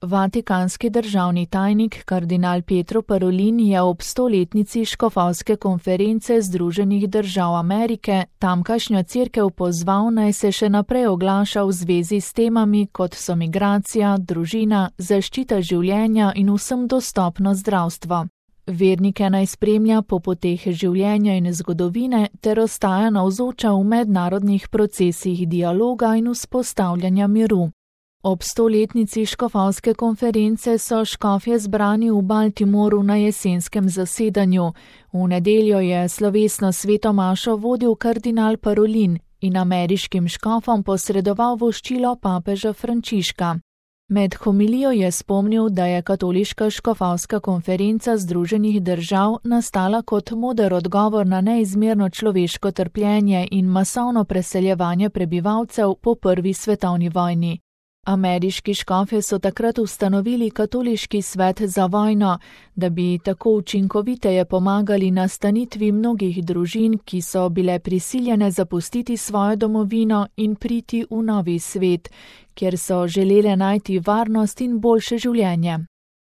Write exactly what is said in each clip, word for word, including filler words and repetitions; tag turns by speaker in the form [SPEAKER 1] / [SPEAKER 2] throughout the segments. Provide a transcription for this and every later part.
[SPEAKER 1] Vatikanski državni tajnik kardinal Pietro Parolin je ob stoletnici škofovske konference Združenih držav Amerike tamkajšnjo cerkev pozval, naj se še naprej oglaša v zvezi s temami, kot so migracija, družina, zaščita življenja in vsem dostopno zdravstvo. Vernike naj spremlja po poteh življenja in zgodovine ter ostaja navzoča v mednarodnih procesih dialoga in vzpostavljanja miru. Ob stoletnici škofovske konference so škofje zbrani v Baltimoru na jesenskem zasedanju. V nedeljo je slovesno sveto mašo vodil kardinal Parolin in ameriškim škofom posredoval voščilo papeža Frančiška. Med homilijo je spomnil, da je katoliška škofovska konferenca Združenih držav nastala kot moder odgovor na neizmerno človeško trpljenje in masovno preseljevanje prebivalcev po prvi svetovni vojni. Ameriški škofje so takrat ustanovili katoliški svet za vojno, da bi tako učinkoviteje pomagali nastanitvi mnogih družin, ki so bile prisiljene zapustiti svojo domovino in priti v novi svet, kjer so želele najti varnost in boljše življenje.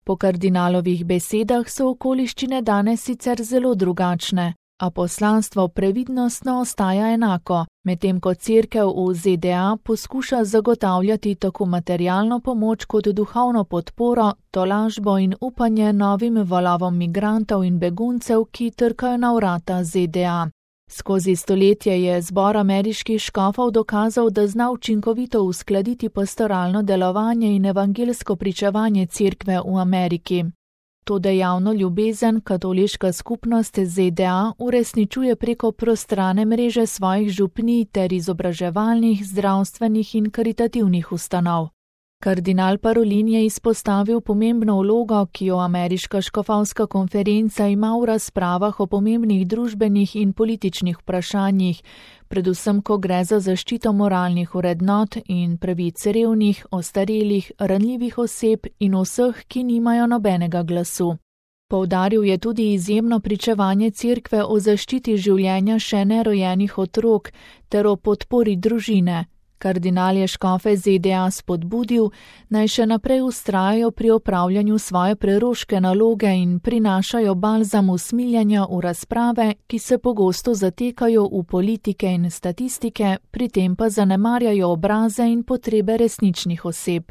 [SPEAKER 1] Po kardinalovih besedah so okoliščine danes sicer zelo drugačne, a poslanstvo previdnostno ostaja enako, medtem ko cerkev v Z D A poskuša zagotavljati tako materialno pomoč kot duhovno podporo, tolažbo in upanje novim valovom migrantov in beguncev, ki trkajo na vrata Z D A. Skozi stoletje je zbor ameriških škofov dokazal, da zna učinkovito uskladiti pastoralno delovanje in evangelsko pričevanje cerkve v Ameriki. To dejavno ljubezen katoliška skupnost Z D A uresničuje preko prostrane mreže svojih župnij ter izobraževalnih, zdravstvenih in karitativnih ustanov. Kardinal Parolin je izpostavil pomembno vlogo, ki jo ameriška škofovska konferenca ima v razpravah o pomembnih družbenih in političnih vprašanjih, predvsem ko gre za zaščito moralnih vrednot in pravic revnih, ostarelih, ranljivih oseb in vseh, ki nimajo nobenega glasu. Poudaril je tudi izjemno pričevanje cerkve o zaščiti življenja še nerojenih otrok ter o podpori družine. Kardinal je škofe Z D A spodbudil, naj še naprej vztrajajo pri opravljanju svoje preroške naloge in prinašajo balzam usmiljenja v razprave, ki se pogosto zatekajo v politike in statistike, pri tem pa zanemarjajo obraze in potrebe resničnih oseb.